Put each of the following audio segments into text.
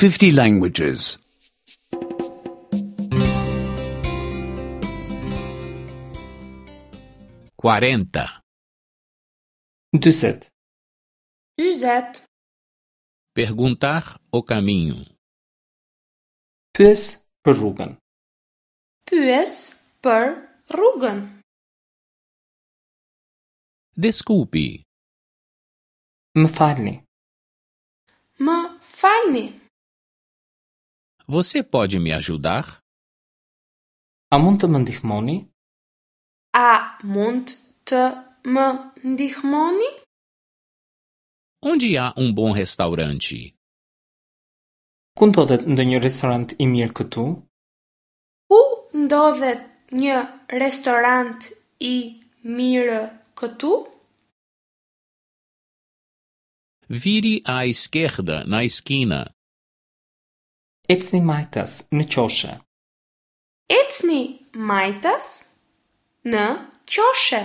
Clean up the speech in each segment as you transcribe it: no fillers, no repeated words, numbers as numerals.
50 languages. 40. 40. 40. Perguntar o caminho. Pyes për rrugën. Pyes për rrugën. Desculpe, Më falni. Më falni. você pode me ajudar? A mund të më ndihmoni? A mund të më ndihmoni? Onde há um bom restaurante? Ku ndodhet ndonjë restorant i mirë këtu? Ku ndodhet një restorant i mirë këtu? Vire à esquerda na esquina. Ecni majtas në qoshe. Ecni majtas në qoshe.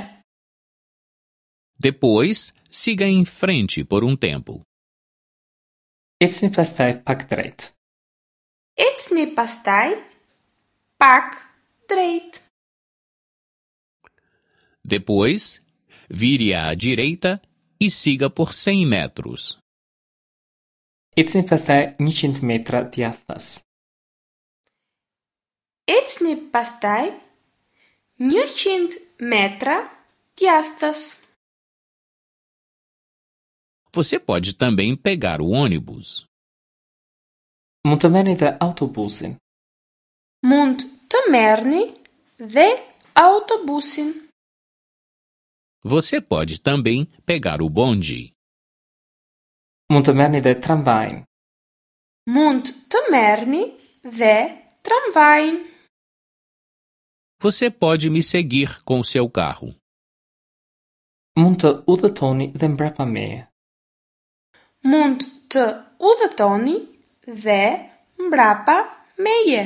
Depois, siga em frente por um tempo. Ecni pastaj pak drejt. Ecni pastaj pak drejt. Depois, vire à direita e siga por 100 metros. Ecni pastaj 100 metra djathtas. Ecni pastaj 100 metra djathtas. Você pode também pegar o ônibus. Mund të merrni dhe autobusin. Mund të merrni dhe autobusin. Você pode também pegar o bonde. Mund të merrni dhe tramvajin. Mund të merrni dhe tramvajin. Você pode me seguir com seu carro. Mund të udhëtoni dhe mbrapa meje. Mund të udhëtoni dhe mbrapa meje.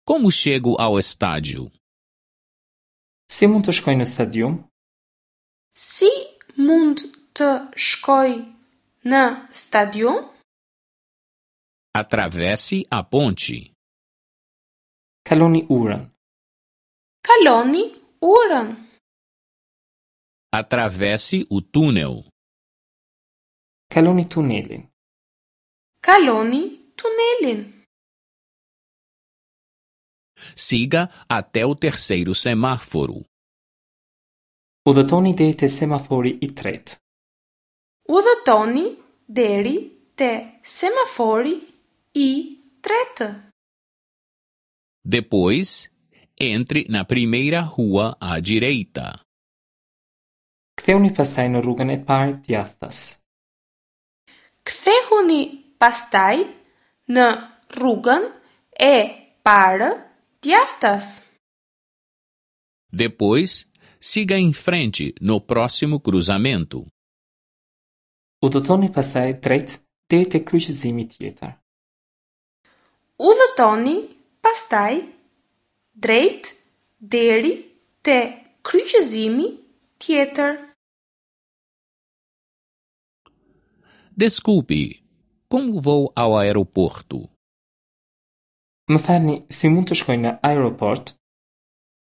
Como chego ao estádio? Si mund të shkoj në stadium? Si mund të shkoj në stadium? Atravesse a ponte. Kaloni urën. Kaloni urën. Atravesse o túnel. Kaloni tunelin. Kaloni tunelin. Siga até o terceiro semáforo. Udhëtoni deri te semafori i tretë. Udhëtoni deri te semafori i tretë. Depois, entre na primeira rua à direita. Kthehuni pastaj në rrugën e parë djathtas. Kthehuni pastaj në rrugën e parë djathtas. Depois, siga em frente no próximo cruzamento. Udhëtoni pastaj drejt deri te kryqëzimi tjetër. Udhëtoni pastaj drejt deri te kryqëzimi tjetër. Desculpe, como vou ao aeroporto? Më falni, si mund të shkoj në aeroport?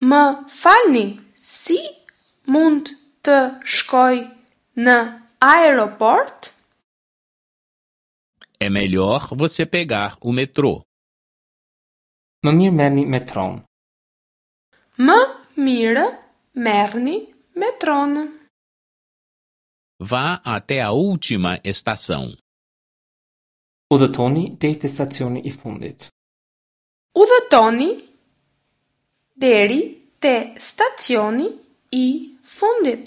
Më falni, si mund të shkoj në aeroport? É melhor você pegar o metrô. Më mirë merrni metron. Më mirë merrni metron. Vá até a última estação. Udhëtoni deri te stacioni i fundit. Udhëtoni deri te stacioni i fundit.